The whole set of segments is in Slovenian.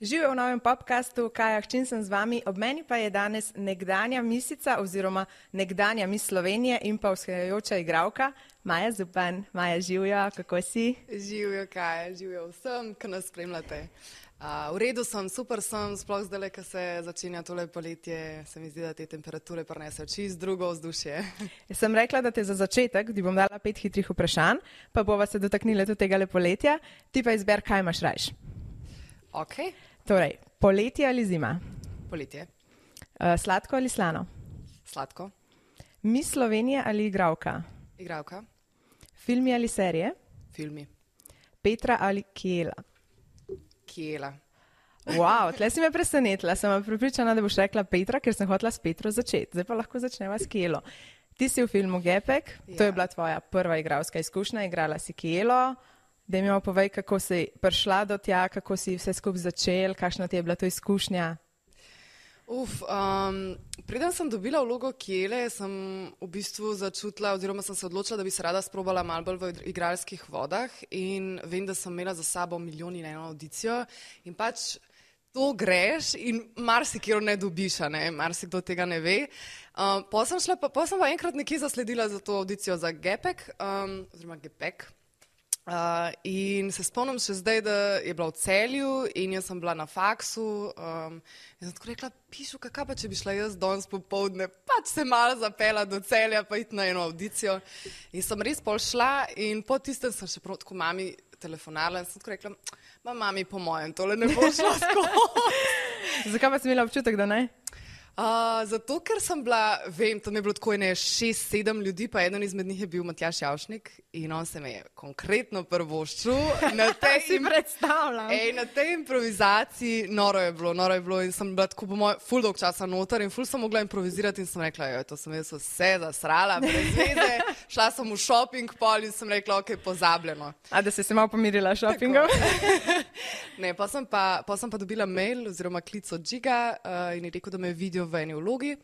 Živijo v novem podcastu Kaja Hčin, sem z vami, ob meni pa je danes nekdanja misica oziroma nekdanja mis Slovenije in pa vzhajajoča igralka Maja Zupan. Maja, živijo, kako si? Živijo, Kaja, živijo vsem, ki nas spremljate. V redu sem, super sem, sploh zdaj, ko se začenja tole poletje, se mi zdi, da te temperature prinesejo čisto drugo vzdušje. Jaz sem rekla, da te za začetek, ti bom dala 5 hitrih vprašanj, pa bova se dotaknila tudi tega poletja, ti pa izber, kaj imaš rajš. Ok. Torej, poletje ali zima? Poletje. Sladko ali slano? Sladko. Mis Slovenije ali igralka? Igralka. Filmi ali serije? Filmi. Petra ali Kiela? Kiela. Wow, tle si me presenetila, sem pripričana, da boš rekla Petra, ker sem hotela s Petro začeti. Zdaj pa lahko začneva s Kielo. Ti si v filmu Gepek, to je bila tvoja prva igralska izkušnja, igrala si Kielo. Da mi povej, kako si prišla do tja, kako si vse skupaj začel, kakšna ti je bila to izkušnja? Preden sem dobila vlogo Kiele, sem v bistvu začutila, oziroma sem se odločila, da bi se rada sprobala malo bolj v igralskih vodah in vem, da sem imela za sabo 1,1 audicijo in pač to greš in marsikjer ne dobiš, marsikdo tega ne ve. Potem sem pa enkrat nekje zasledila za to audicijo za Gepek, oziroma Gepek. In se spomnim še zdaj, da je bila v Celju in jaz sem bila na faksu in sem tako rekla, pišu, kakaj pa, če bi šla jaz danes popoldne, pač se malo zapela do Celja, pa iti na eno audicijo. In sem res pol šla in po tistem sem še prav tako mami telefonala in sem tako rekla, mami, po mojem, tole ne bo šlo skozi. Zakaj pa si imela občutek, da ne? Zato, ker sem bila, vem, tam je bilo tako 6-7 ljudi, pa eden izmed njih je bil Matjaž Javšnik in on se me je konkretno prvoščil. Si predstavljam. Na tej improvizaciji noro je bilo in sem bila tako po mojem ful dolg časa noter in ful sem mogla improvizirati in sem rekla, to sem jaz vse zasrala, brez veze, šla sem v shopping pol in sem rekla, ok, pozabljeno. A da si se malo pomirila shoppingom? Ne, pa sem pa dobila mail oziroma klic od Žiga in je rekel, da me vidijo v eni vlogi.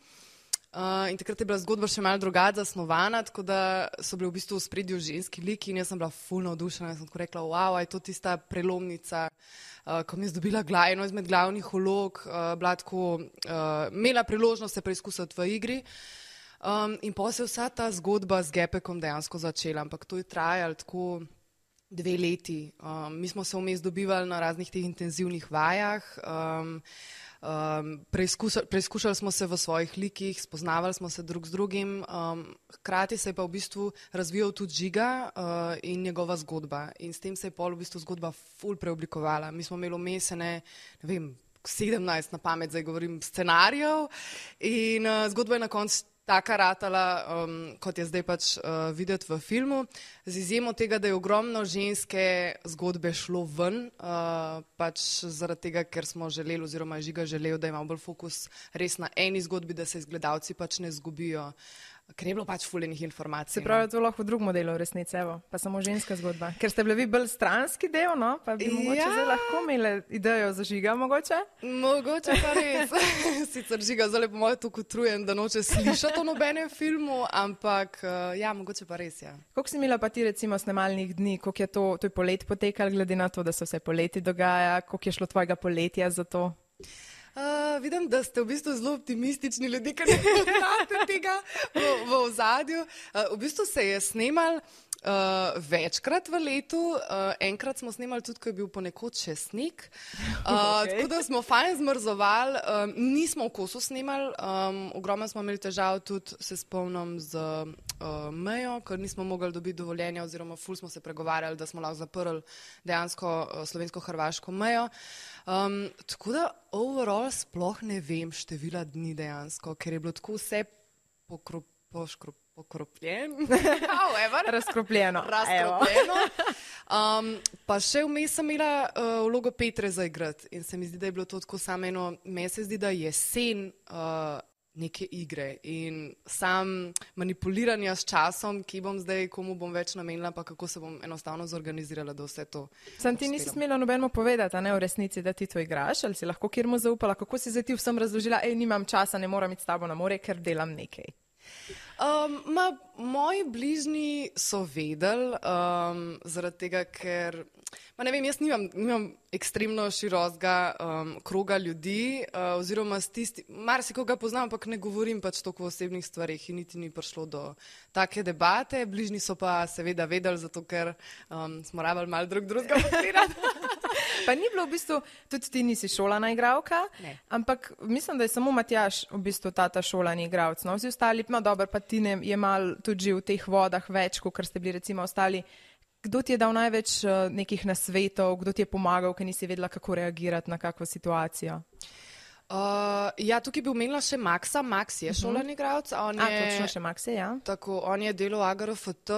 In takrat je bila zgodba še malo drugače zasnovana, tako da so bili v bistvu v spredju ženski liki in jaz sem bila ful navdušena in sem tako rekla, wow, je to tista prelomnica, ko mi je zdobila eno izmed glavnih vlog, bila tako, imela priložnost se preizkusiti v igri. In potem se je vsa ta zgodba z Gepekom dejansko začela, ampak to je trajalo tako 2 leti. Mi smo se vmes dobivali na raznih teh intenzivnih vajah, preizkušali smo se v svojih likih, spoznavali smo se drug z drugim, hkrati se je pa v bistvu razvijal tudi Žiga in njegova zgodba in s tem se je pol v bistvu zgodba ful preoblikovala. Mi smo imeli vmesene, ne vem, 17 na pamet, zdaj govorim, scenarijev in zgodba je na koncu taka ratala, kot je zdaj pač videti v filmu, z izjemo tega, da je ogromno ženske zgodbe šlo ven, pač zaradi tega, ker smo želeli oziroma je Žiga želel, da ima bolj fokus res na eni zgodbi, da se gledalci pač ne zgubijo, ker je bilo pač fuljenih informacij. Se pravi, to lahko v drugem modelu v resnici, evo, pa samo ženska zgodba. Ker ste bili vi bolj stranski del, no? Pa bi mogoče zdaj lahko imeli idejo za Žiga, mogoče? Mogoče pa res. Sicer Žiga zdaj po mojem tako utrujen, da noče slišati o nobenem filmu, ampak ja, mogoče pa res, ja. Koliko si imela pa ti recimo snemalnih dni, koliko je to je polet potekalo, glede na to, da se vse poleti dogaja, koliko je šlo tvojega poletja za to? Vidim, da ste v bistvu zelo optimistični ljudje, ker ne poznate tega v ozadju. V bistvu se je snemal večkrat v letu, enkrat smo snemali tudi, ko je bil ponekod še sneg, tako da smo fajn zmrzovali, nismo v kosu snemali, ogromno smo imeli težav tudi, se spomnim, z mejo, ker nismo mogli dobiti dovoljenja oziroma ful smo se pregovarjali, da smo lahko zaprli dejansko slovensko-hrvaško mejo. Tako da overall sploh ne vem števila dni dejansko, ker je bilo tako vse razkropljeno. Pa še vmes sem imela vlogo Petre za igrati in se mi zdi, da je bilo to tako samo eno, meni se zdi, da jesen neke igre in sam manipuliranja s časom, ki bom zdaj, komu bom več namenila, pa kako se bom enostavno zorganizirala, da vse to. Sam ti nisi smela nobenemu povedati, a ne v resnici, da ti to igraš, ali si lahko kjermu zaupala, kako si zdaj ti vsem razložila, nimam časa, ne moram iti s tabo na more, ker delam nekaj. Moji bližnji so vedeli, zaradi tega, ker, ne vem, jaz nimam ekstremno širokega kroga ljudi, oziroma marsikoga poznam, ampak ne govorim pač toliko o osebnih stvarih in niti ni prišlo do take debate. Bližnji so pa seveda vedeli, zato ker smo rabili malo drugega podpirati. Pa ni bilo v bistvu, tudi ti nisi šolana igralka, ampak mislim, da je samo Matjaž v bistvu ta šolani igralec. No? Vsi ostali, dobro, pa ti je mal tudi že v teh vodah več, kot ste bili recimo ostali. Kdo ti je dal največ nekih nasvetov, kdo ti je pomagal, ker nisi vedela, kako reagirati na kakšno situacijo? Tukaj bi omenila še Maxa. Max je šolani igralec. Točno še Max je, ja. Tako, on je delal AGRFT.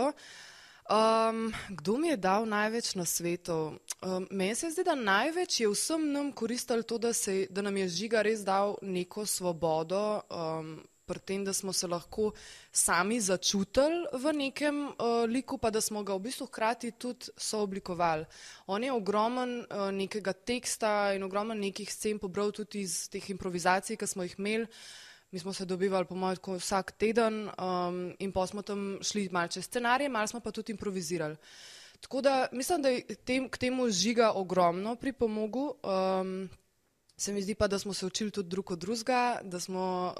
Kdo mi je dal največ nasvetov? Meni se zdi, da največ je vsem nam koristilo to, da nam je Žiga res dal neko svobodo, pri tem, da smo se lahko sami začutili v nekem liku, pa da smo ga v bistvu hkrati tudi sooblikovali. On je ogromen nekega teksta in ogromen nekih scen pobral tudi iz teh improvizacij, ki smo jih imeli. Mi smo se dobivali po mojem vsak teden in pa smo tam šli malo čez scenarije, malo smo pa tudi improvizirali. Tako da mislim, da je k temu Žiga ogromno pripomogel. Se mi zdi pa, da smo se učili tudi drug od drugega, da smo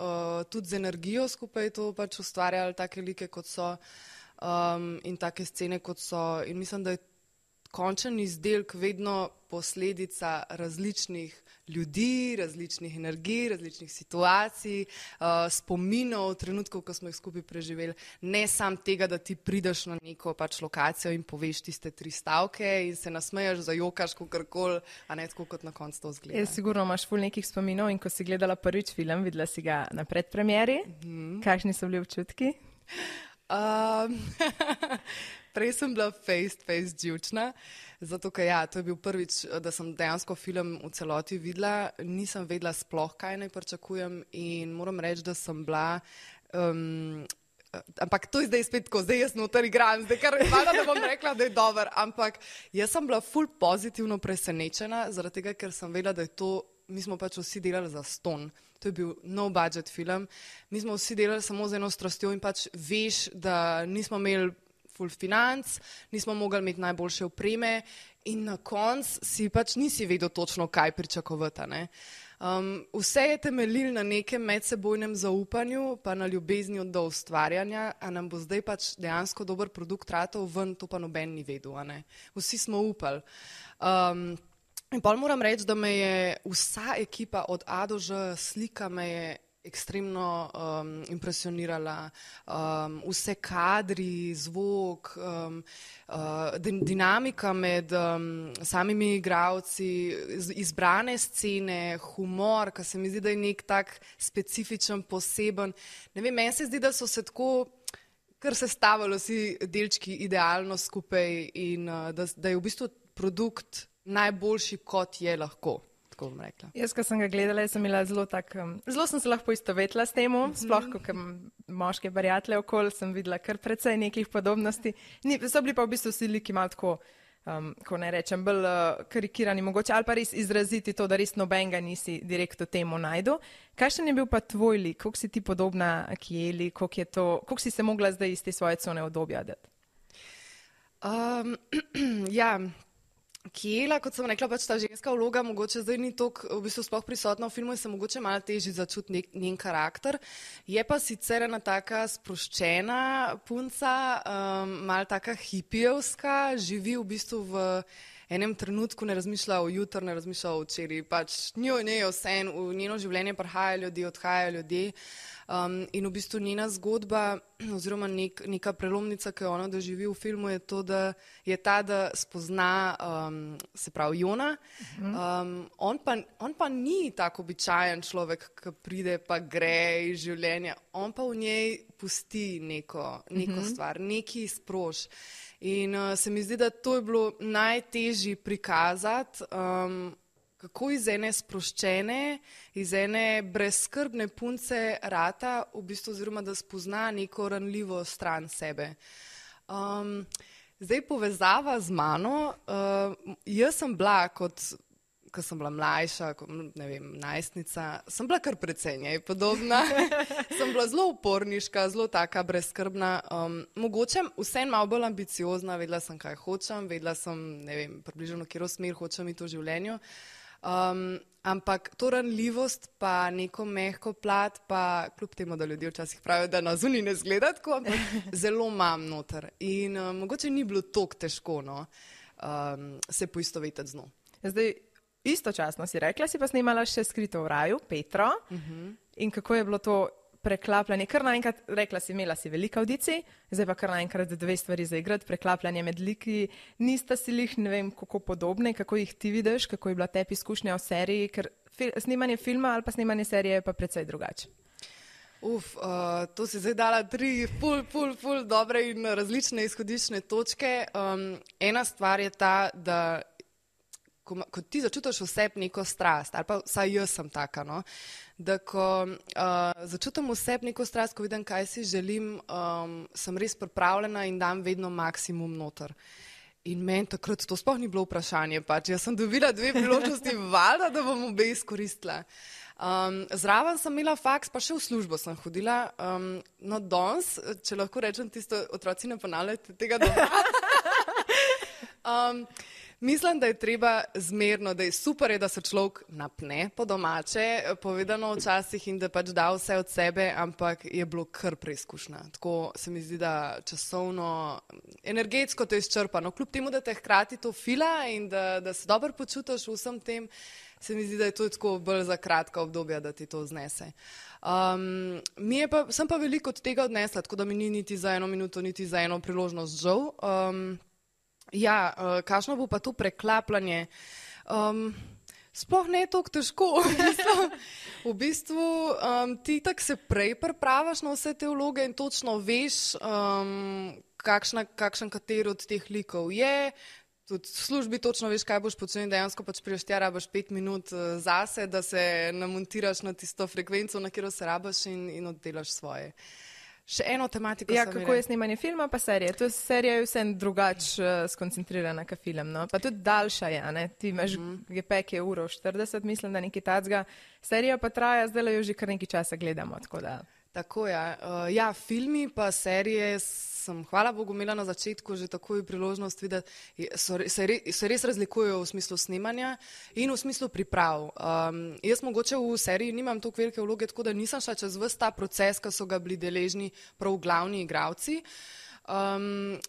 tudi z energijo skupaj to pač ustvarjali, take like kot so in take scene kot so. In mislim, da je končen izdelek vedno posledica različnih ljudi, različnih energij, različnih situacij, spominov, trenutkov, ko smo jih skupaj preživeli. Ne samo tega, da ti prideš na neko pač lokacijo in poveš tiste 3 stavke in se nasmejaš, zajokaš, kakorkoli, a ne tako, kot na koncu to zgleda. Sigurno imaš ful nekih spominov in ko si gledala prvič film, videla si ga na predpremieri. Kakšni so bili občutki? Prej sem bila face živčna, zato ker to je bil prvič, da sem dejansko film v celoti videla, nisem vedela sploh, kaj naj pričakujem in moram reči, da sem bila, ampak to je zdaj spet tako, zdaj jaz noter igram, zdaj kar hvala, da bom rekla, da je dober, ampak jaz sem bila ful pozitivno presenečena, zaradi tega, ker sem vedela, da je to, mi smo pač vsi delali za ston. To je bil no budget film, mi smo vsi delali samo z eno strastjo in pač veš, da nismo imeli ful financ, nismo mogli imeti najboljše opreme in na koncu si pač nisi vedel točno, kaj pričakovati. Vse je temeljilo na nekem medsebojnem zaupanju, pa na ljubezni do ustvarjanja, a nam bo zdaj pač dejansko dober produkt ratal ven, to pa noben ni vedel. Vsi smo upali. In pol moram reči, da me je vsa ekipa od A do Ž, slika me je ekstremno impresionirala, vse kadri, zvok, dinamika med samimi igralci, izbrane scene, humor, ki se mi zdi, da je nek tak specifičen, poseben. Ne vem, meni se zdi, da so se tako kar sestavili vsi delčki idealno skupaj in da je v bistvu produkt najboljši, kot je lahko. Jaz, ko sem ga gledala, sem imela zelo sem se lahko istovetila s temu, sploh kot moške prijatelje okoli, sem videla kar precej nekih podobnosti. So bili pa v bistvu vsi liki malo tako, ko ne rečem, bolj karikirani mogoče, ali pa res izraziti to, da res nobenega nisi direktno temu najdu. Kakšen je bil pa tvoj lik? Koliko si ti podobna Kieli? Koliko si se mogla zdaj iz te svoje cone obdobja dati? Kiela, kot sem rekla, pač ta ženska vloga mogoče zdaj ni toliko v bistvu sploh prisotna v filmu in se mogoče malo težje začuti njen karakter. Je pa sicer ena taka sproščena punca, malo taka hipijevska, živi v bistvu v enem trenutku, ne razmišlja o jutru, ne razmišlja o včeraj, pač njo je vse, v njeno življenje prihajajo ljudje, odhajajo ljudje. In v bistvu njena zgodba oziroma neka prelomnica, ki jo ona doživi v filmu, je to, da je ta, da spozna, se pravi, Jona. On pa ni tako običajen človek, ki pride pa gre iz življenja. On pa v njej pusti neko stvar, neki sprož. In se mi zdi, da to je bilo najtežje prikazati, kako iz ene sproščene, iz ene brezskrbne punce rata, v bistvu, oziroma da spozna neko ranljivo stran sebe. Zdaj povezava z mano, jaz sem bila kot ko sem bila mlajša, ne vem, najstnica, sem bila kar precej njej podobna. Sem bila zelo uporniška, zelo taka brezskrbna. Mogoče vseeno malo bolj ambiciozna, vedela sem, kaj hočem, vedela sem, ne vem, približno, katero smer hočem iti v življenju. Ampak to ranljivost pa neko mehko plat, pa kljub temu, da ljudje včasih pravijo, da na zunaj ne zgleda tako, ampak zelo imam noter. In mogoče ni bilo toliko težko, no, se poistovetiti z njo. Zdaj, istočasno si rekla, si pa snimala še Skrito v raju, Petro. In kako je bilo to preklapljanje? Kar naenkrat, rekla si, imela si veliko audicij, zdaj pa kar naenkrat dve stvari za igrati, preklapljanje med liki. Nista si lih, ne vem, kako podobne, kako jih ti vidiš, kako je bila tebi izkušnja v seriji, ker snimanje filma ali pa snimanje serije je pa precej drugače. To si zdaj dala 3 ful dobre in različne izhodiščne točke. Ena stvar je ta, da ko ti začutiš v sebi neko strast, ali pa vsaj jaz sem taka, no, da ko začutim v sebi neko strast, ko vidim, kaj si želim, sem res pripravljena in dam vedno maksimum noter. In meni takrat to sploh ni bilo vprašanje, pač jaz sem dobila 2 priložnosti, valjda, da bom obe izkoristila. Zraven sem imela faks, pa še v službo sem hodila. No, danes, če lahko rečem tisto, otroci ne ponavljajte tega doma. Mislim, da je treba zmerno, da je super, da se človek napne po domače, povedano včasih in da pač da vse od sebe, ampak je bilo kar preizkušnja. Tako se mi zdi, da časovno, energetsko to izčrpa. No, kljub temu, da te hkrati to fila in da se dobro počutiš v vsem tem, se mi zdi, da je to tako bolj za kratka obdobja, da ti to znese. Sem pa veliko od tega odnesla, tako da mi ni niti za 1 minuto, niti za 1 priložnost žal. Kakšno bo pa to preklapljanje? Sploh ne toliko težko. V bistvu ti tako se prej pripravaš na vse te vloge in točno veš, kakšen kateri od teh likov je. Tudi v službi točno veš, kaj boš počel in dejansko pač priješ tja, rabaš 5 minut zase, da se namontiraš na tisto frekvenco, na katero se rabaš in oddelaš svoje. Še eno tematiko sem imela. Kako je snemanje filma pa serije? To serija je vsem drugače skoncentrirana ka film, no? Pa tudi daljša je, ne? Ti imaš gepek je 1:40, mislim, da nekaj tacga. Serija pa traja, zdaj jo že kar nekaj časa gledamo, tako da... Tako ja, filmi pa serije sem, hvala Bogu, imela na začetku že takoj priložnost videti, se res razlikujejo v smislu snemanja in v smislu priprav. Jaz mogoče v seriji nimam toliko velike vloge, tako da nisem šla čez ves ta proces, ko so ga bili deležni prav glavni igralci.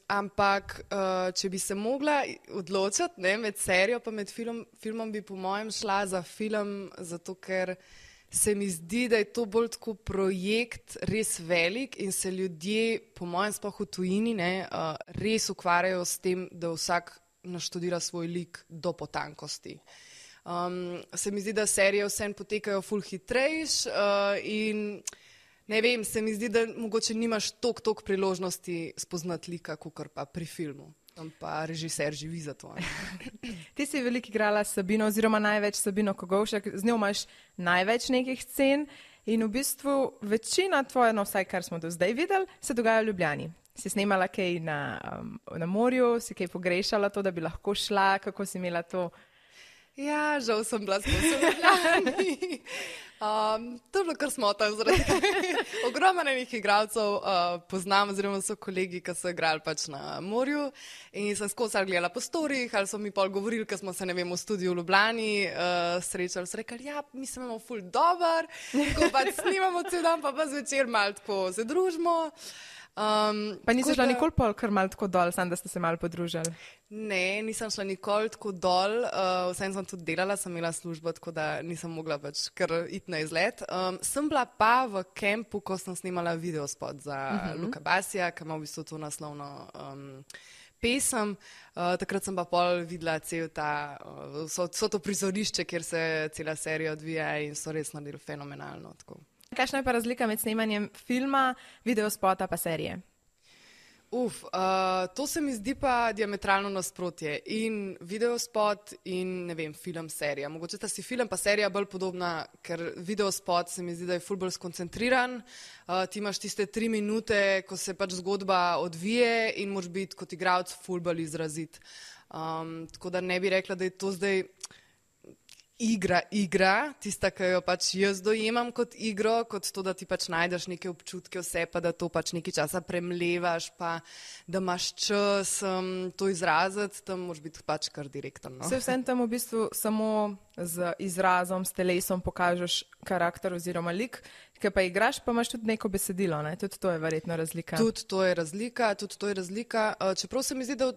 Ampak, če bi se mogla odločiti, ne, med serijo pa med filmom bi po mojem šla za film, zato ker se mi zdi, da je to bolj tako projekt res velik in se ljudje, po mojem sploh v tujini, ne, res ukvarjajo s tem, da vsak naštudira svoj lik do potankosti. Se mi zdi, da serije vseeno potekajo ful hitrejš in ne vem, se mi zdi, da mogoče nimaš toliko priložnosti spoznati lika, kakor pa pri filmu. Pa režiser živi za to. Ti si veliko igrala s Sabino, oziroma največ Sabino Kogovšek, z njo imaš največ nekih scen in v bistvu večina tvoje, no vsaj kar smo do zdaj videli, se dogaja v Ljubljani. Si snemala kaj na morju, si kaj pogrešala to, da bi lahko šla, kako si imela to? Ja, žal sem bila skozi v Ljubljani. To je bilo kar smotano, ogromno nekih igralcev poznam, oziroma so kolegi, ki so igrali pač na morju in sem skozi gledala po storih, ali so mi pol govorili, ko smo se, ne vem, v studiu v Ljubljani srečali, so rekli, ja, mi se imamo ful dober, ko pač snimamo cel dan, pa zvečer malo tako se družimo. Pa nisi šla nikoli pol kar malo tako dol, samo da ste se malo podružili? Ne, nisem šla nikoli tako dol, vsem sem tudi delala, sem imela službo, tako da nisem mogla pač kar iti na izlet. Sem bila pa v kempu, ko sem snimala videospot za Luka Basija, ki ima v bistvu to naslovno pesem. Takrat sem pa pol videla cel ta, so to prizorišče, kjer se cela serija odvija in so res naredili fenomenalno. Tako. Kakšna je pa razlika med snemanjem filma, videospota pa serije? To se mi zdi pa diametralno nasprotje. In videospot in, ne vem, film, serija. Mogoče ta si film pa serija bolj podobna, ker videospot se mi zdi, da je ful bolj skoncentriran. Ti imaš tiste 3 minute, ko se pač zgodba odvije in moraš biti kot igralec ful bolj izrazit. Tako da ne bi rekla, da je to zdaj... igra, tista, ki jo pač jaz dojemam kot igro, kot to, da ti pač najdeš neke občutke vse, pa da to pač nekaj časa premlevaš, pa da imaš čas to izraziti, tam moraš biti pač kar direkten. No? Vsem tam v bistvu samo z izrazom, s telesom pokažeš karakter oziroma lik, ki pa igraš, pa imaš tudi neko besedilo, ne? Tudi to je verjetno razlika. Tudi to je razlika. Čeprav se mi zdi, da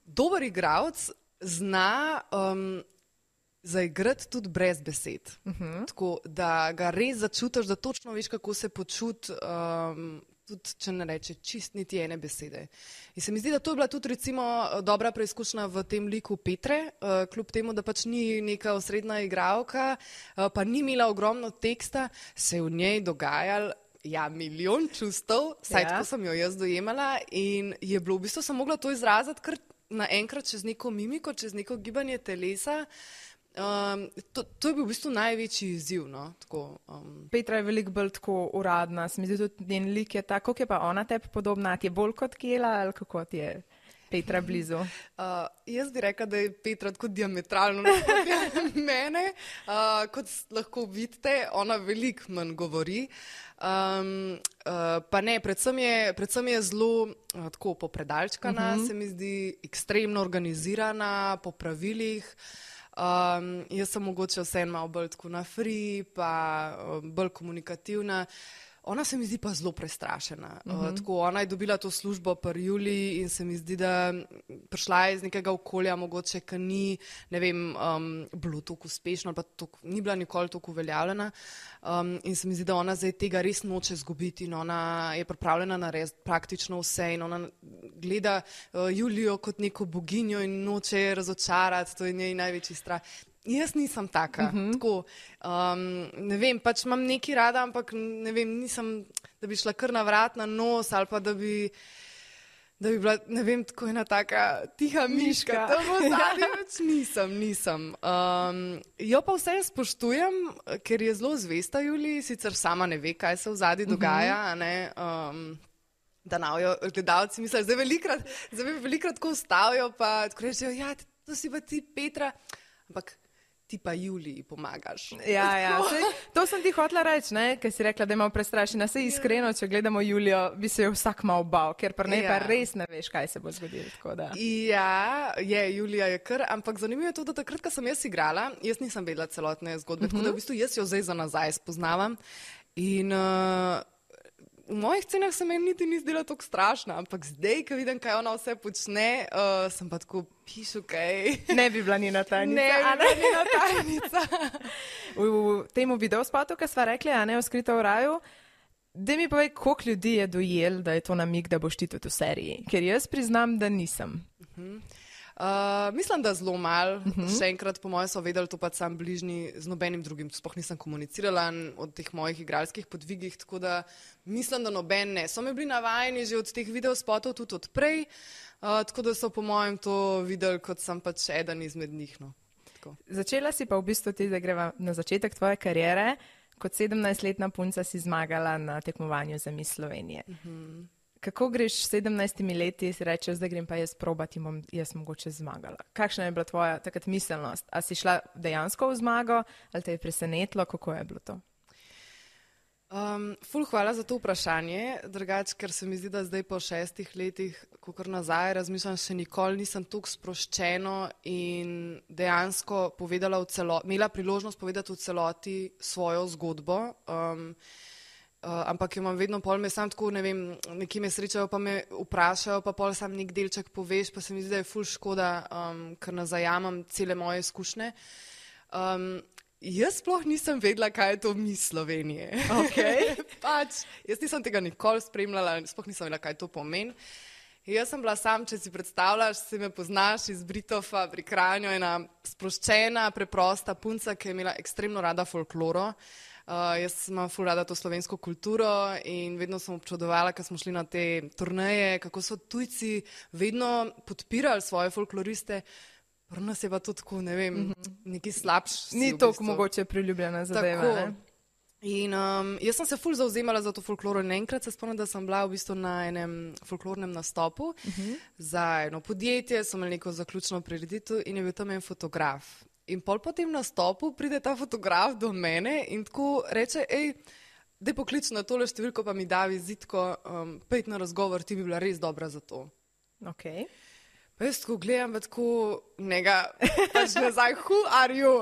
dober igralec zna zaigrati tudi brez besed. Tako, da ga res začutiš, da točno veš, kako se počuti, tudi če ne reče čist niti ene besede. In se mi zdi, da to je bila tudi recimo dobra preizkušnja v tem liku Petre, kljub temu, da pač ni neka osrednja igralka, pa ni imela ogromno teksta, se je v njej dogajalo milijon čustev, vsaj tako sem jo jaz dojemala in je bilo v bistvu sem mogla to izraziti kar naenkrat čez neko mimiko, čez neko gibanje telesa. To je bil v bistvu največji izziv. No? Tako, Petra je veliko bolj tako uradna, se mi zdi tudi njen lik je tako, kako je pa ona tebi podobna, ti je bolj kot Kela ali kako ti je Petra blizu? Jaz bi rekla, da je Petra tako diametralno nasprotna mene, kot lahko vidite, ona veliko manj govori. Pa ne, predvsem je zelo tako popredalčkana, se mi zdi ekstremno organizirana, po pravilih. Jaz sem mogoče vseeno malo bolj tako na free, pa bolj komunikativna. Ona se mi zdi pa zelo prestrašena. Tako, ona je dobila to službo pri Juliji in se mi zdi, da prišla je iz nekega okolja, mogoče, ki ni, ne vem, bilo tako uspešno, ali pa ni bila nikoli tako uveljavljena. In se mi zdi, da ona zdaj tega res noče izgubiti in ona je pripravljena narediti praktično vse in ona gleda Julijo kot neko boginjo in noče razočarati, to je njej največji strah. Jaz nisem taka, tako, ne vem, pač imam nekaj rada, ampak ne vem, nisem, da bi šla kar na vrat na nos ali pa da bi bila, ne vem, tako ena taka tiha miška. To bo zadnji več nisem. Jo pa vse spoštujem, ker je zelo zvesta Juliji, sicer sama ne ve, kaj se v zadnji dogaja, a ne, da navijo gledalci mislijo, zdaj velikrat tako ustavijo, pa tako rečejo, ja, to si pa ti Petra, ampak ti pa Juliji pomagaš. Ja, to sem ti hotela reči, ker si rekla, da je malo prestrašena. Saj iskreno, če gledamo Julijo, bi se jo vsak malo bal, ker pa ne, pa res ne veš, kaj se bo zgodilo. Ja, Julija je kar, ampak zanimivo je to, da takrat, ko sem jaz igrala, jaz nisem vedela celotne zgodbe, tako da v bistvu jaz jo zdaj za nazaj spoznavam in v mojih scenah se meni niti ni zdela tako strašna, ampak zdaj, ko vidim, kaj ona vse počne, sem pa tako pišu, kaj. Ne bi bila njena tajnica. Ne bi bila njena tajnica. V temu videospotu, ki sva rekli, a ne, v Skrito v raju, da mi povej, koliko ljudi je dojel, da je to namig, da boš ti tudi v seriji, ker jaz priznam, da nisem. Mislim, da zelo malo. Še enkrat, po mojem, so vedeli to pa sam bližnji z nobenim drugim. Sploh nisem komunicirala od teh mojih igralskih podvigih, tako da mislim, da noben ne. So me bili navajeni že od teh videospotov tudi odprej, tako da so po mojem to videli, kot sem pač eden izmed njih. No. Začela si pa v bistvu ti, da greva na začetek tvoje kariere. Kot 17-letna punca si zmagala na tekmovanju za Miss Slovenije. Kako greš s 17 leti, si rečeš, da grem pa jaz probati in bom jaz mogoče zmagala? Kakšna je bila tvoja takrat miselnost? A si šla dejansko v zmago ali te je presenetilo? Kako je bilo to? Ful, hvala za to vprašanje. Drugače, ker se mi zdi, da zdaj po 6 letih, kakor nazaj razmišljam, še nikoli nisem tako sproščeno in dejansko imela priložnost povedati v celoti svojo zgodbo. Ampak jo imam vedno pol, me sam tako, ne vem, nekje me srečajo, pa me vprašajo, pa pol sam nek delček poveš, pa se mi zdi, da je ful škoda, ker nazajamam cele moje izkušnje. Jaz sploh nisem vedela, kaj je to Miss Slovenije. Okay. Jaz nisem tega nikoli spremljala, sploh nisem vedela, kaj to pomeni. Jaz sem bila sam, če si predstavljaš, si me poznaš iz Britofa pri Kranju, ena sproščena, preprosta punca, ki je imela ekstremno rada folkloro. Jaz imam ful rada to slovensko kulturo in vedno sem občudovala, ko smo šli na te turneje, kako so tujci vedno podpirali svoje folkloriste. Pri nas je pa to tako, ne vem, neki slabši. Ni toliko mogoče priljubljena zadeva, ne? In jaz sem se ful zauzemala za to folkloro in enkrat se spomnim, da sem bila v bistvu na enem folklornem nastopu za eno podjetje, so imeli neko zaključno prireditev in je bil tam en fotograf. In pol po tem nastopu pride ta fotograf do mene in tako reče, daj poklič na tole številko, pa mi da vizitko, pojdi na razgovor, ti bi bila res dobra za to. Okay. Pa jaz tako gledam, pa tako njega, pač nazaj, who are you?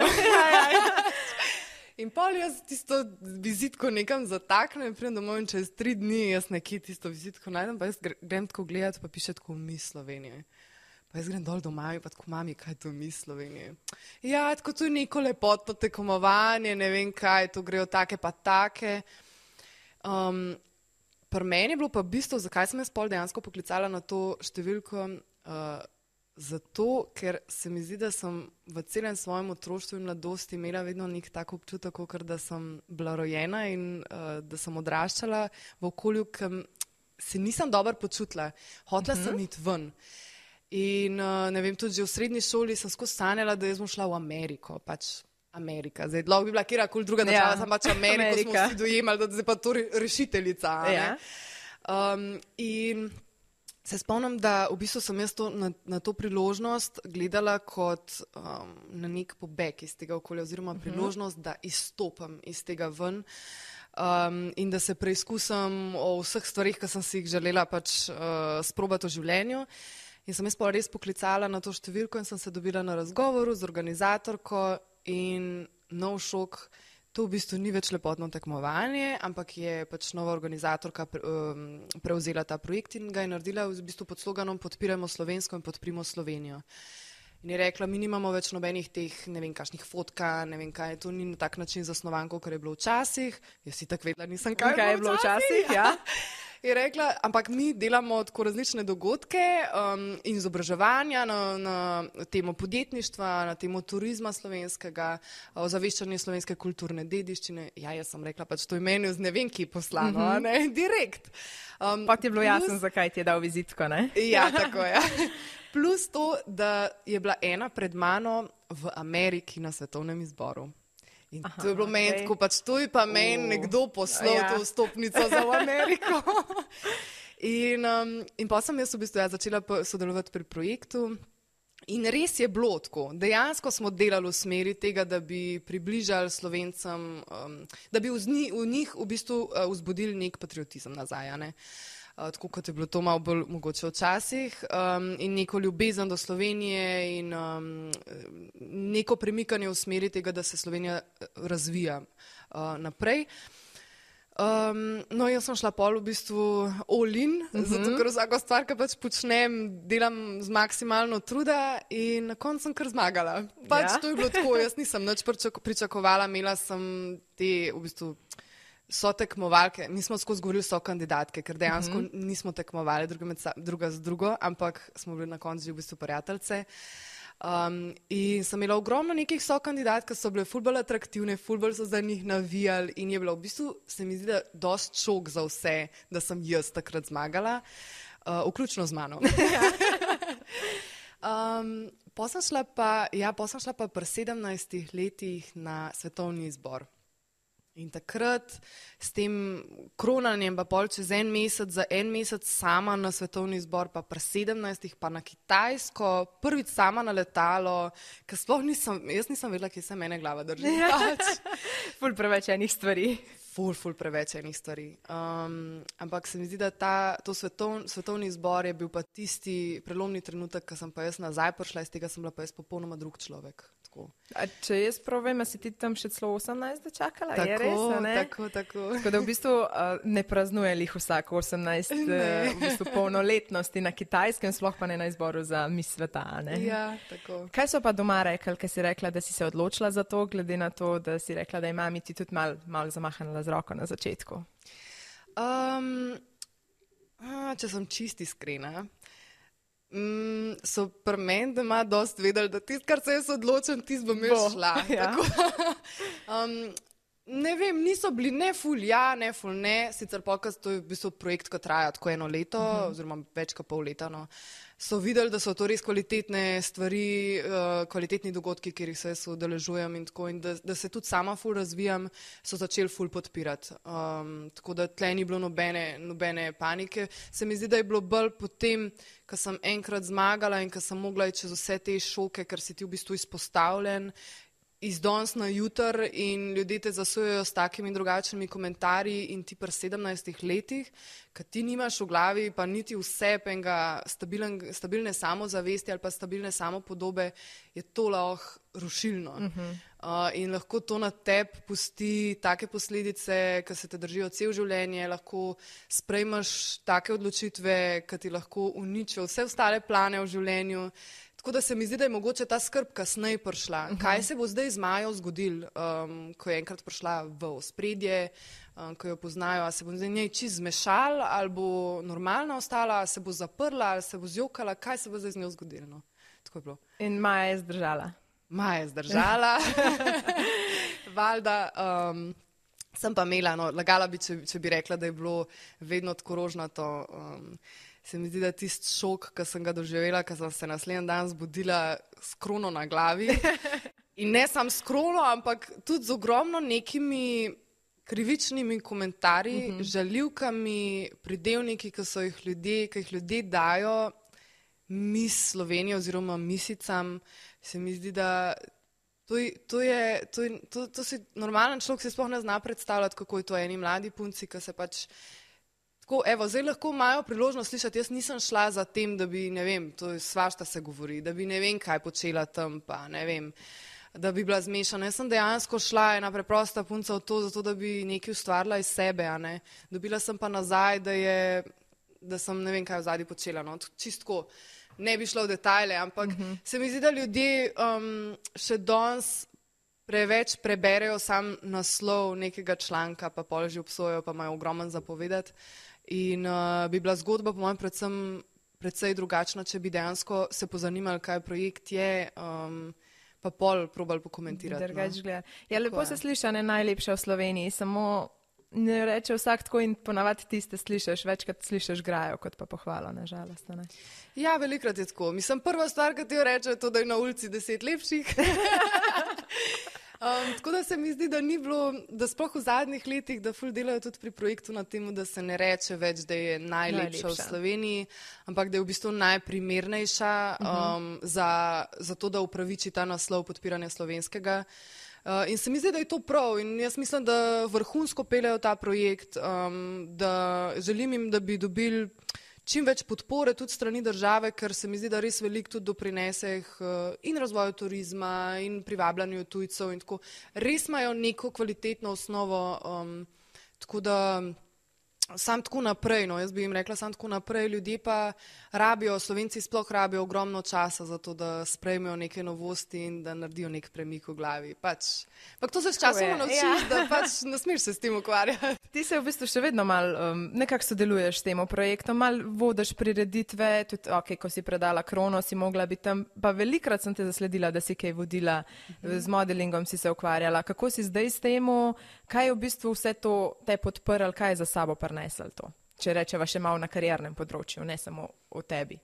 In pol jaz tisto vizitko nekam zataknem, pridem domov in čez 3 dni jaz nekje tisto vizitko najdem, pa jaz grem tako gledati, pa piše tako Miss Slovenije. Pa jaz grem dol do mami, pa tako mami, kaj je to Miss Slovenije? Ja, tako to je neko lepotno tekmovanje, ne vem kaj, to grejo take pa take. Pri meni je bilo pa v bistvu, zakaj sem jaz pol dejansko poklicala na to številko, zato, ker se mi zdi, da sem v celem svojem otroštvu in mladosti imela vedno nek tak občutek, ker da sem bila rojena in da sem odraščala v okolju, ki se nisem dobro počutila. Hotela sem iti ven. In ne vem, tudi že v srednji šoli sem skozi sanjala, da jaz bom šla v Ameriko, pač Amerika. Zdaj, lahko bi bila kjerkoli druga država, sem pač Ameriko, smo vsi dojemali, da je pa to rešiteljica. In se spomnim, da v bistvu sem jaz na to priložnost gledala kot na nek pobeg iz tega okolja oziroma priložnost, da izstopam iz tega ven in da se preizkusim o vseh stvarih, ki sem si jih želela pač sprobati v življenju. In sem jaz pa res poklicala na to številko in sem se dobila na razgovoru z organizatorko in nov šok. To v bistvu ni več lepotno tekmovanje, ampak je pač nova organizatorka prevzela ta projekt in ga je naredila v bistvu pod sloganom Podpiramo slovensko in podprimo Slovenijo. In je rekla, mi nimamo več nobenih teh, ne vem, kakšnih fotka, ne vem kaj, to ni na tak način zasnovan, kot je bilo včasih. Jaz si tako vedela, nisem kaj je bilo včasih. Ja. Je rekla, ampak mi delamo tako različne dogodke in izobraževanja na temo podjetništva, na temo turizma slovenskega, ozaveščanje slovenske kulturne dediščine. Ja, jaz sem rekla, pač to je meni z ne vem kje poslano, ne, direkt. Pa ti je bilo jasno, zakaj ti je dal vizitko, ne? Ja, tako je. Plus to, da je bila ena pred mano v Ameriki na svetovnem izboru. In to je bilo meni tako, pač to je pa meni nekdo poslal to vstopnico za v Ameriko. In pa sem jaz v bistvu začela sodelovati pri projektu. In res je bilo tako. Dejansko smo delali v smeri tega, da bi približali Slovencem, da bi v njih v bistvu vzbudili nek patriotizem nazaj, ne? Tako kot je bilo to malo bolj mogoče včasih in neko ljubezen do Slovenije in neko premikanje v smeri tega, da se Slovenija razvija naprej. No, jaz sem šla pol v bistvu all in, zato ker vsako stvar, ki pač počnem, delam z maksimalno truda in na koncu sem kar zmagala. Pač to je bilo tako, jaz nisem nič pričakovala, imela sem te v bistvu so tekmovalke, nismo skozi govorili so kandidatke, ker dejansko nismo tekmovali druga z drugo, ampak smo bili na koncu v bistvu prijateljce. In sem imela ogromno nekih so kandidatk, ki so bile ful bolj atraktivne, ful bolj so za njih navijali in je bilo v bistvu, se mi zdi, da dost šok za vse, da sem jaz takrat zmagala, vključno z mano. Pa sem šla pa pri 17 letih na svetovni izbor. In takrat s tem kronanjem pa pol čez za en mesec sama na svetovni izbor, pa pri 17 pa na Kitajsko, prvič sama na letalo, ker sploh jaz nisem vedela, kje se mene glava drži. Ful preveč enih stvari. Ful preveč enih stvari. Ampak se mi zdi, da to svetovni izbor je bil pa tisti prelomni trenutek, ko sem pa jaz nazaj prišla, iz tega sem bila pa jaz popolnoma drug človek. A če jaz prav vem, si ti tam še celo 18 dočakala? Tako, je res, ne? Tako. Tako da v bistvu ne praznuje lih vsako 18 v bistvu polnoletnosti na Kitajskem, sploh pa ne na izboru za Miss sveta, ne? Ja, tako. Kaj so pa doma rekli, ker si rekla, da si se odločila za to, glede na to, da si rekla, da je mami ti tudi malo zamahnila z roko na začetku? Če sem čisti iskrena, so pri meni doma dost vedeli, da tisto, kar se jaz odločim, tisto bom jaz šla. Ja. Ne vem, niso bili ne ful ja, ne ful ne, sicer pokaz, to je v bistvu projekt, ki traja tako 1 leto, oziroma več kot pol leta, no. so videli, da so to res kvalitetne stvari, kvalitetni dogodki, kjer jih se jaz udeležujem in tako, in da se tudi sama ful razvijam, so začeli ful podpirati. Tako da tle ni bilo nobene panike. Se mi zdi, da je bilo bolj potem, ko sem enkrat zmagala in ko sem mogla iti čez vse te šoke, ker si ti v bistvu izpostavljen, iz danes na jutr in ljudje te zasujejo s takimi drugačnimi komentarji in ti pri 17 letih, kad ti nimaš v glavi pa niti vse penga stabilne samozavesti ali pa stabilne samopodobe, je to lahko rušilno. In lahko to na tebi pusti take posledice, ki se te držijo cel življenje, lahko sprejmeš take odločitve, ki ti lahko uničijo vse ostale plane v življenju. Tako da se mi zdi, da je mogoče ta skrb kasneje prišla. Kaj se bo zdaj z Majo zgodilo, ko je enkrat prišla v ospredje, ko jo poznajo, a se bo zdaj njej čist zmešal, ali bo normalna ostala, ali se bo zaprla, ali se bo zjokala, kaj se bo zdaj z njo zgodilo. No? Tako je bilo. In Maja je zdržala. Maja je zdržala. Valjda, sem pa imela, no, lagala bi, če bi rekla, da je bilo vedno tako rožnato. Se mi zdi, da tisti šok, ki sem ga doživela, ko sem se naslednji dan zbudila s krono na glavi. In ne samo s krono, ampak tudi z ogromno nekimi krivičnimi komentarji, žaljivkami, pridevniki, ki jih ljudje dajo mis Slovenije oziroma misicam. Se mi zdi, da to si normalen človek si sploh ne zna predstavljati, kako je to eni mladi punci, ki se pač tako, evo, zdaj lahko imajo priložnost slišati, jaz nisem šla za tem, da bi, ne vem, to je svašta se govori, da bi ne vem kaj počela tam, pa ne vem, da bi bila zmešana. Jaz sem dejansko šla ena preprosta punca v to, zato da bi nekaj ustvarila iz sebe, a ne. Dobila sem pa nazaj, da sem ne vem kaj v zadnji počela, no, čistko. Ne bi šla v detajle, ampak se mi zdi, da ljudje še danes preveč preberejo sam naslov nekega članka, pa pol že obsojajo, pa imajo ogromen zapovedati. In bi bila zgodba, po mojem, predvsej drugačna, če bi dejansko se pozanimali, kaj projekt je, pa pol probali pokomentirati. No. Ja, lepo se sliša, ne najlepša v Sloveniji, samo ne reče vsak tako in ponavadi tiste slišiš, večkrat slišiš grajo, kot pa pohvalo, nažalost. Ne? Ja, velikrat je tako. Mislim, prva stvar, ki ti jo reče, je to, da je na ulici 10 lepših. Tako da se mi zdi, da ni bilo, da sploh v zadnjih letih, da ful delajo tudi pri projektu na temu, da se ne reče več, da je najlepša v Sloveniji, ampak da je v bistvu najprimernejša za to, da upraviči ta naslov podpiranja slovenskega. In se mi zdi, da je to prav in jaz mislim, da vrhunsko peljajo ta projekt, da želim jim, da bi dobili čim več podpore tudi strani države, ker se mi zdi, da res veliko tudi doprinese in razvoju turizma in privabljanju tujcev in tako. Res imajo neko kvalitetno osnovo, tako da sam tako naprej, no, jaz bi jim rekla sam tako naprej, ljudje pa rabijo, Slovenci sploh rabijo ogromno časa za to, da sprejmejo neke novosti in da naredijo nek premik v glavi. Ampak to se s časom naučiš, da pač ne smeš se s tem ukvarjati. Ti se v bistvu še vedno nekako sodeluješ s tem projektom, malo vodiš prireditve, tudi ko si predala krono, si mogla biti tam, pa velikrat sem te zasledila, da si kaj vodila, z modelingom si se ukvarjala. Kako si zdaj s temu, kaj je v bistvu vse to te podprl, kaj je za sabo prinesel to? Če rečeva še malo na kariernem področju, ne samo o tebi.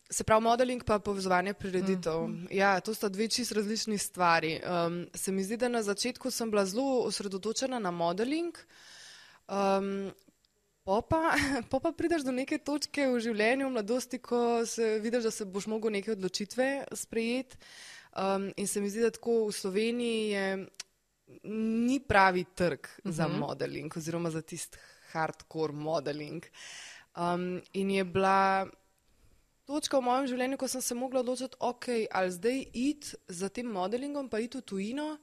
Se pravi, modeling pa povezovanje prireditev. Ja, to sta dve čisto različni stvari. Se mi zdi, da na začetku sem bila zelo osredotočena na modeling, pa prideš do neke točke v življenju, v mladosti, ko se vidiš, da se boš mogel neke odločitve sprejeti. In se mi zdi, da tako v Sloveniji ni pravi trg za modeling oziroma za tisti hardcore modeling. In je bila točka v mojem življenju, ko sem se mogla odločiti, ali zdaj iti za tem modelingom, pa iti v tujino,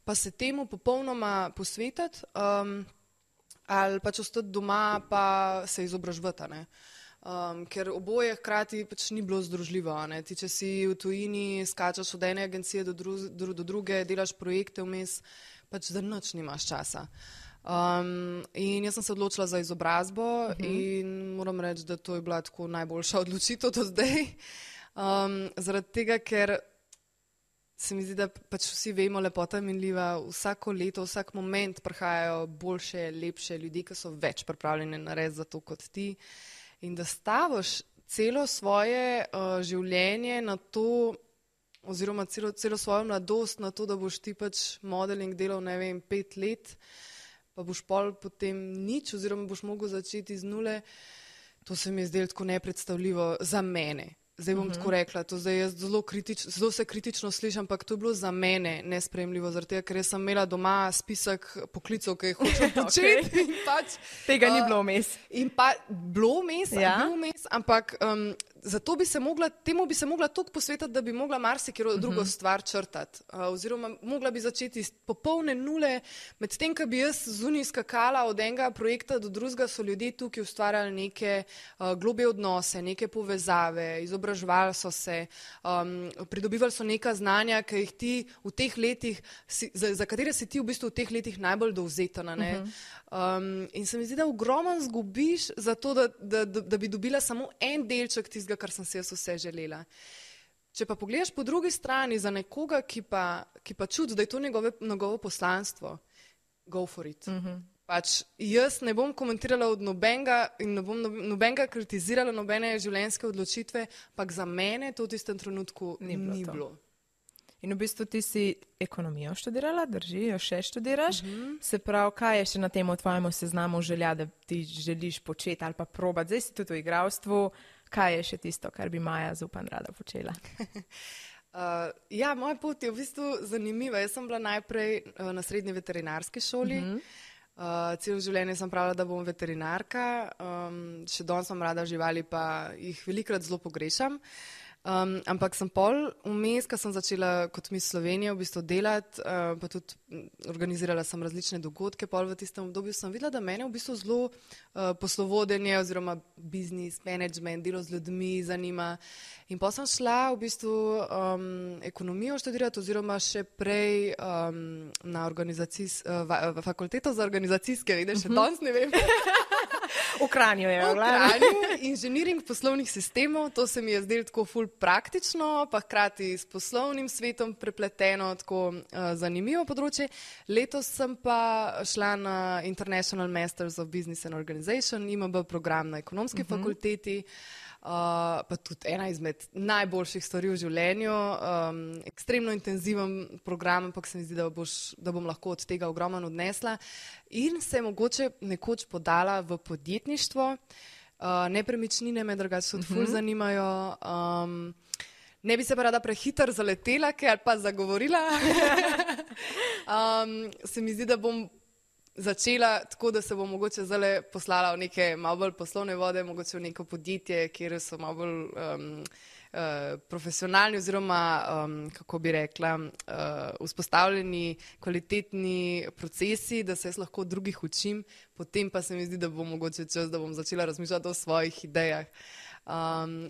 pa se temu popolnoma posvetiti, ali pač ostati doma, pa se izobraževati, ne. Ker oboje hkrati pač ni bilo združljivo, ne. Ti, če si v tujini, skačeš od ene agencije do druge, delaš projekte vmes, pač za nič nimaš časa. In jaz sem se odločila za izobrazbo in moram reči, da to je bila tako najboljša odločitev do zdaj. Zaradi tega, ker se mi zdi, da pač vsi vemo, lepota je minljiva, vsako leto, vsak moment prihajajo boljše, lepše ljudi, ki so več pripravljeni narediti za to kot ti. In da staviš celo svoje življenje na to, oziroma celo svojo mladost na to, da boš ti pač modeling delal, ne vem, 5 let, pa boš potem nič, oziroma boš mogel začeti z nule, to se mi je zdelo tako nepredstavljivo za mene. Zdaj bom tako rekla, to zdaj jaz zelo se kritično slišim, ampak to je bilo za mene nesprejemljivo, zaradi tega, ker jaz sem imela doma spisek poklicov, ki jih hočem početi. In pač, tega ni bilo vmes. In pa bilo vmes, ampak temu bi se mogla toliko posvetiti, da bi mogla marsikero drugo stvar črtati. Oziroma mogla bi začeti iz popolne nule, medtem, ko bi jaz zunaj skakala od enega projekta do drugega, so ljudje tukaj ustvarjali neke globje odnose, neke povezave, izobraževali so se, pridobivali so neka znanja, ki jih ti v teh letih, za katere si ti v bistvu v teh letih najbolj dovzetana. In se mi zdi, da ogromno zgubiš za to, da bi dobila samo en delček tistega, kar sem si jaz vse želela. Če pa pogledaš po drugi strani za nekoga, ki pa čuti, da je to njegovo poslanstvo, go for it. Pač jaz ne bom komentirala od nobenega in ne bom nobenega kritizirala nobene življenjske odločitve, ampak za mene to v tistem trenutku ni bilo. In v bistvu ti si ekonomijo študirala, drži, jo še študiraš. Se pravi, kaj je še na tem tvojemu seznamu želja, da ti želiš početi ali pa probati? Zdaj si tudi v igralstvu. Kaj je še tisto, kar bi Maja Zupan rada počela? Moja pot je v bistvu zanimiva. Jaz sem bila najprej na srednji veterinarski šoli. Celo življenje sem pravila, da bom veterinarka. Še danes sem rada živali, pa jih velikokrat zelo pogrešam. Ampak sem pol vmes, ko sem začela kot Miss Slovenije v bistvu delati, pa tudi organizirala sem različne dogodke, pol v tistem obdobju sem videla, da mene v bistvu zelo poslovodenje oziroma business, management, delo z ljudmi zanima. In pol sem šla v bistvu ekonomijo študirati oziroma še prej na fakulteto za organizacijske, vidiš, še danes ne vem. V Kranju je. V Kranju, inženiring poslovnih sistemov, to se mi je zdelo tako ful praktično, pa hkrati s poslovnim svetom prepleteno, tako zanimivo področje. Letos sem pa šla na International Masters of Business and Organization, IMB program na ekonomski fakulteti, pa tudi ena izmed najboljših stvari v življenju, ekstremno intenziven program, ampak se mi zdi, da bom lahko od tega ogromno odnesla. In se mogoče nekoč podala v podjetništvo. Nepremičnine me drugače tudi ful zanimajo. Ne bi se pa rada prehiter zaletela, ali pa zagovorila. Se mi zdi, da bom začela tako, da se bom mogoče zdaj poslala v neke malo bolj poslovne vode, mogoče v neko podjetje, kjer so malo bolj profesionalni oziroma, kako bi rekla, vzpostavljeni kvalitetni procesi, da se jaz lahko od drugih učim, potem pa se mi zdi, da bo mogoče čas, da bom začela razmišljati o svojih idejah.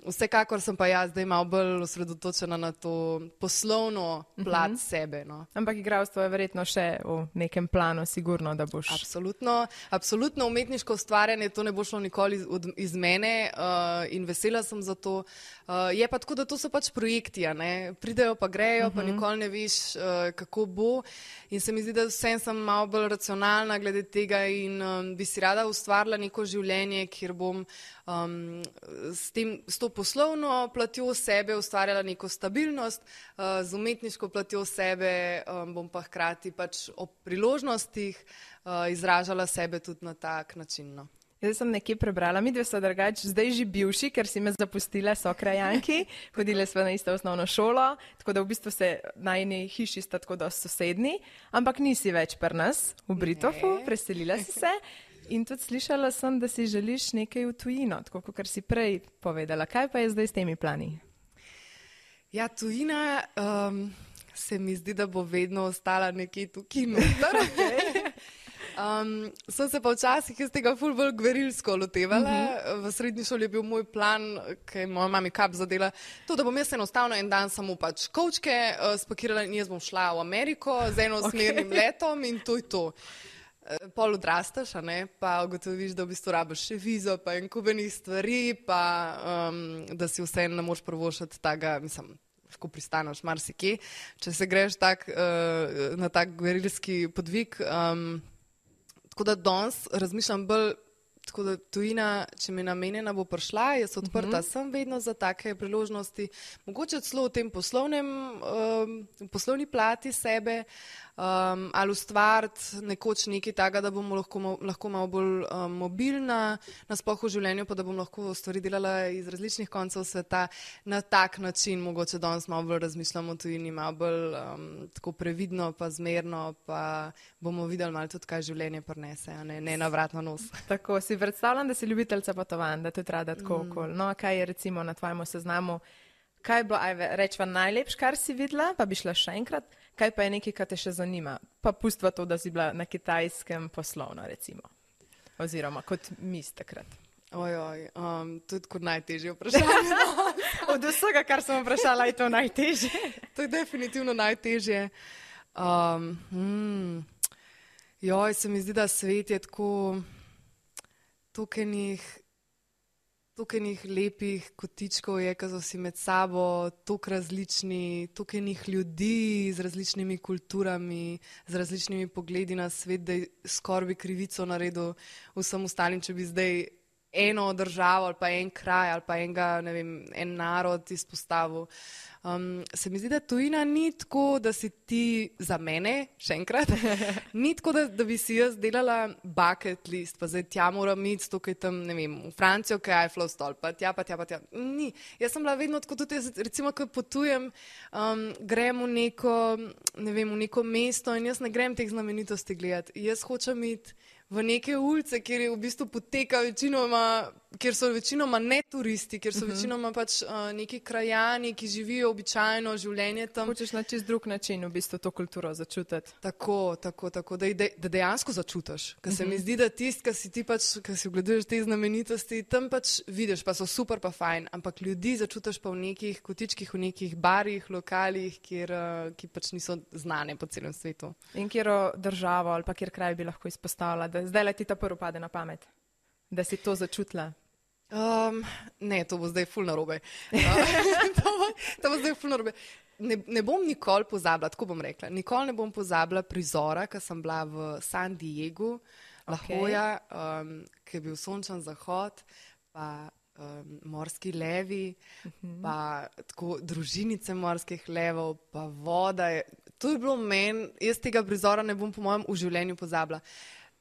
Vsekakor sem pa jaz zdaj malo bolj osredotočena na to poslovno plat sebe. No. Ampak igralstvo je verjetno še v nekem planu, sigurno, da boš... Absolutno umetniško ustvarjanje, to ne bo šlo nikoli iz mene in vesela sem za to. Je pa tako, da to so pač projekti, ne? Pridejo pa grejo, pa nikoli ne veš, kako bo. In se mi zdi, da vsem sem malo bolj racionalna glede tega in bi si rada ustvarila neko življenje, kjer bom s to poslovno platjo sebe ustvarjala neko stabilnost, z umetniško platjo sebe bom pa hkrati pač ob priložnostih izražala sebe tudi na tak način. No. Jaz sem nekje prebrala, midve so drugače zdaj že bivši, ker si me zapustila, so krajanki, hodile sva na isto osnovno šolo, tako da v bistvu se najni hiši sta tako dosti sosedni, ampak nisi več pri nas v Britofu, preselila si se. In tudi slišala sem, da si želiš nekaj v tujino, tako kot si prej povedala. Kaj pa je zdaj s temi plani? Ja, tujina se mi zdi, da bo vedno ostala nekje tukaj noter. Sem se pa včasih iz tega ful bolj gverilsko lotevala. V srednji šoli je bil moj plan, ki je moja mami kap zadela, to, da bom jaz enostavno en dan samo pač kovčke spakirala in jaz bom šla v Ameriko z enosmernim letom in to je to. Pol odrastaš, pa ugotoviš, da v bistvu rabiš še vizo, pa en kubenih stvari, pa da si vseeno ne moreš privoščiti tega, mislim, lahko pristaneš marsikje, če se greš na tak gverilski podvig. Tako da danes razmišljam bolj Tako da tujina, če mi je namenjena, bo prišla, jaz odprta sem vedno za take priložnosti, mogoče celo v tem poslovni plati sebe, ali ustvariti nekoč nekaj takega, da bom lahko malo bolj mobilna nasploh v življenju, pa da bom lahko stvari delala iz različnih koncev sveta. Na tak način mogoče danes malo bolj razmišljamo o tujini, malo bolj tako previdno pa zmerno, pa bomo videli malo tudi, kaj življenje prinese, a ne na vrat na nos. Tako, si predstavljam, da si ljubiteljca potovanj, da tudi rada tako okoli. No, kaj je recimo na tvojemu seznamu, kaj je bilo, rečva, najlepš, kar si videla, pa bi šla še enkrat, kaj pa je nekaj, kar te še zanima? Pa pustva to, da si bila na Kitajskem poslovno, recimo. Oziroma kot mis takrat. Tudi kot najtežje vprašanje. Od vsega, kar sem vprašala, je to najtežje. To je definitivno najtežje. Se mi zdi, da svet je tako toliko enih lepih kotičkov je, ki so si med sabo toliko različni, toliko enih ljudi z različnimi kulturami, z različnimi pogledi na svet, da skoraj bi krivico naredil vsem ostalim, če bi zdaj eno državo ali pa en kraj ali pa en narod izpostavil. Se mi zdi, da tujina ni tako, da si ti za mene, še enkrat, ni tako, da bi si jaz delala bucket list, pa zdaj tja moram iti, tukaj tam, v Francijo, kaj je Eiffel stolp, pa tja. Ni. Jaz sem bila vedno tako, tudi jaz, recimo, ko potujem, grem v neko mesto in jaz ne grem teh znamenitosti gledati. Jaz hočem iti v neke ulice, kjer je v bistvu poteka kjer so večinoma ne turisti, kjer so večinoma pač neki krajani, ki živijo običajno življenje tam. Hočeš na čist drug način v bistvu to kulturo začutiti. Tako, da dejansko začutiš. Ker se mi zdi, da tist, ki si ogleduješ te znamenitosti, tam pač vidiš, pa so super pa fajn, ampak ljudi začutiš pa v nekih kotičkih, v nekih barih, lokalih, ki pač niso znane po celem svetu. In kjero državo ali pa kjer kraj bi lahko izpostavila, da zdaj le ti ta prvo pade na pamet, da si to začutila? Ne, to bo zdaj ful narobe. To bo zdaj ful narobe. Ne bom nikoli pozabila, tako bom rekla, nikoli ne bom pozabila prizora, ko sem bila v San Diegu, La Jolla, ki je bil sončen zahod, pa morski levi, pa tako družinice morskih levov, pa voda. To je bilo meni, jaz tega prizora ne bom po mojem v življenju pozabila.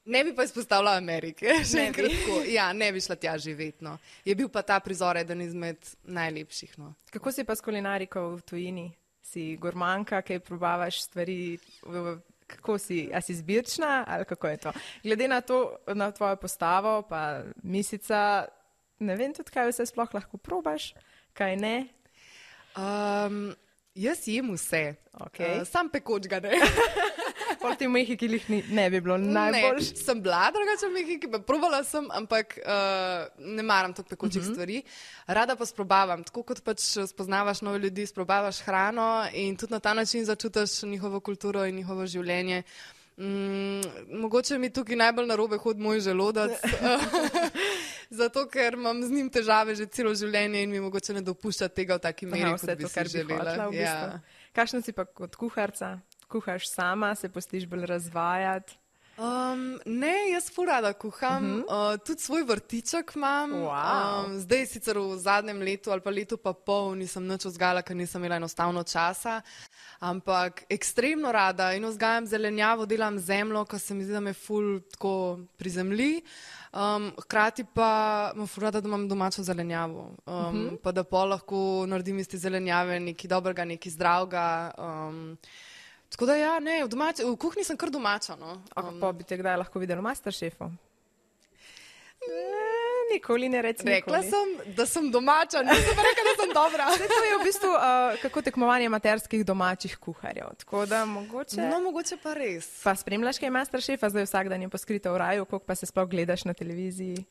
Ne bi pa izpostavila Amerike, še enkrat tako. Ja, ne bi šla tja živeti, no. Je bil pa ta prizor eden izmed najlepših, no. Kako si pa s kulinariko v tujini? Si gurmanka, kaj probavaš stvari, kako si, a si zbirčna ali kako je to? Glede na to, na tvojo postavo, pa misica, ne vem tudi, kaj vse sploh lahko probaš, kaj ne? Jaz jem vse, sam pekoč ga ne. Pol ti v Mehiki ne bi bilo najbolj. Ne, sem bila drugače v Mehiki, probala sem, ampak ne maram toliko pekočih stvari. Rada pa sprobavam, tako kot pač spoznavaš nove ljudi, sprobavaš hrano in tudi na ta način začutiš njihovo kulturo in njihovo življenje. Mogoče mi tukaj najbolj narobe hodi moj želodec, zato ker imam z njim težave že celo življenje in mi mogoče ne dopušča tega v taki meri, kot bi si želela. Kakšna si pa kot kuharca? Kuhaš sama, se pustiš bolj razvajati? Ne, jaz ful rada kuham, tudi svoj vrtiček imam. Zdaj sicer v zadnjem letu ali pa letu pa pol nisem nič vzgajala, ker nisem imela enostavno časa, ampak ekstremno rada in vzgajam zelenjavo, delam zemljo, ker se mi zdi, da me ful tako prizemlji. Hkrati pa imam ful rada, da imam domačo zelenjavo, pa da pol lahko naredim iz te zelenjave nekaj dobrega, nekaj zdravega. Tako da ja, ne, v kuhinji sem kar domača, no. Pa bi te kdaj lahko videli v Masterchefu? Nikoli ne reci nikoli. Rekla sem, da sem domača, nisem pa rekla, da sem dobra. To je v bistvu kako tekmovanje amaterskih domačih kuharjev, tako da mogoče... No, mogoče pa res. Pa spremljaš kaj Masterchefa, zdaj vsak dan je poskrita v raju, koliko pa se sploh gledaš na televiziji?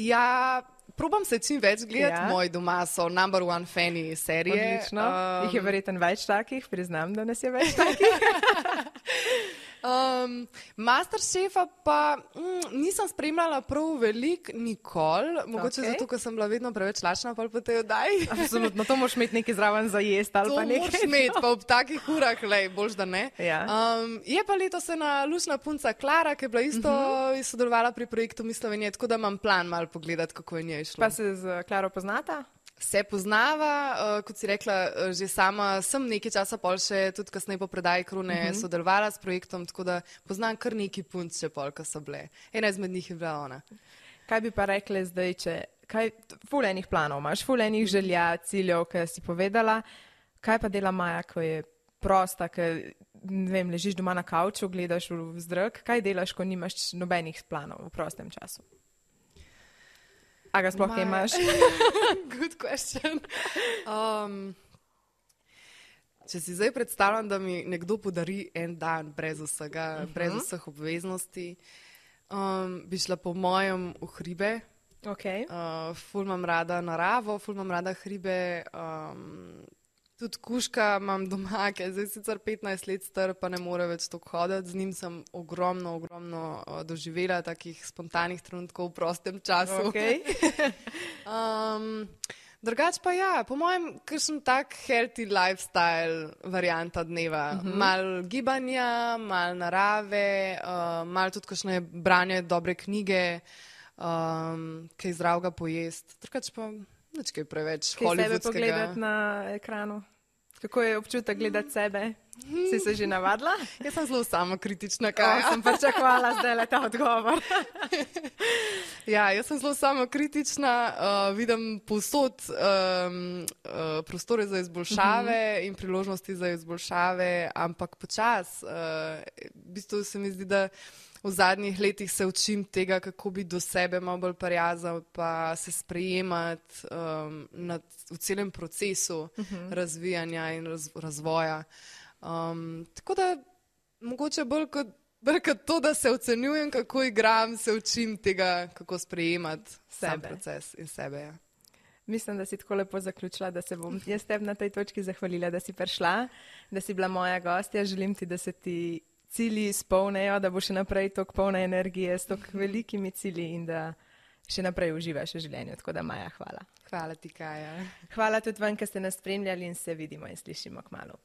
Ja... Probam se čim več gledati, Moji doma so number one fani serije. Odlično, jih je verjetno več takih, priznam, da nas je več takih. Masterchefa pa nisem spremljala prav veliko, nikoli. Mogoče zato, ker sem bila vedno preveč lačna po tej oddaji. Absolutno, to moraš imeti nekaj zraven za jesti ali pa nekaj. To moraš imeti, pa ob takih urah, boljš da ne. Ja. Je pa letos ena lušna punca Klara, ki je bila isto sodelovala pri projektu Miss Slovenije, tako da imam plan malo pogledati, kako je njej šlo. Pa se z Klaro poznata? Se poznava, kot si rekla, že sama sem nekaj časa pol še, tudi kasneje po predaji Krone, sodelovala s projektom, tako da poznam kar neki punc še pol, ko so bile. Ena izmed njih je bila ona. Kaj bi pa rekli zdaj, ful enih planov imaš, ful enih želja, ciljev, ki si povedala, kaj pa dela Maja, ko je prosta, ko, ne vem, ležiš doma na kavču, gledaš v zrak, kaj delaš, ko nimaš nobenih planov v prostem času? A ga sploh imaš? Good question. Če si zdaj predstavljam, da mi nekdo podari en dan brez vsega, brez vseh obveznosti, bi šla po mojem v hribe. Okay. Ful imam rada naravo, ful imam rada hribe. Tudi kužka imam doma, ki je zdaj sicer 15 let star, pa ne more več toliko hoditi. Z njim sem ogromno doživela takih spontanih trenutkov v prostem času. Okay. Drugač pa ja, po mojem, kakšen tak healthy lifestyle varianta dneva. Mal gibanja, mal narave, mal tudi kakšne branje dobre knjige, kaj zdravega pojest. Drugač pa nič kaj preveč hollywoodskega. Kaj sebe pogledati na ekranu? Kako je občutek gledati sebe? Si se že navadila? Jaz sem zelo samokritična. Sem pričakovala zdaj le ta odgovor. Ja, jaz sem zelo samokritična, vidim povsod prostore za izboljšave in priložnosti za izboljšave, ampak počas. V bistvu se mi zdi, da v zadnjih letih se učim tega, kako biti do sebe malo bolj prijazen, pa se sprejemati v celem procesu razvijanja in razvoja. Tako da mogoče bolj kot to, da se ocenjujem, kako igram, se učim tega, kako sprejemati sam proces in sebe. Ja. Mislim, da si tako lepo zaključila, da se bom jaz tebi na tej točki zahvalila, da si prišla, da si bila moja gostja. Želim ti, da se ti cilji izpolnejo, da bo še naprej toliko polna energije s toliko velikimi cilji in da še naprej uživaš v življenju. Tako da, Maja, hvala. Hvala ti, Kaja. Hvala tudi vam, ki ste nas spremljali in se vidimo in slišimo kmalu.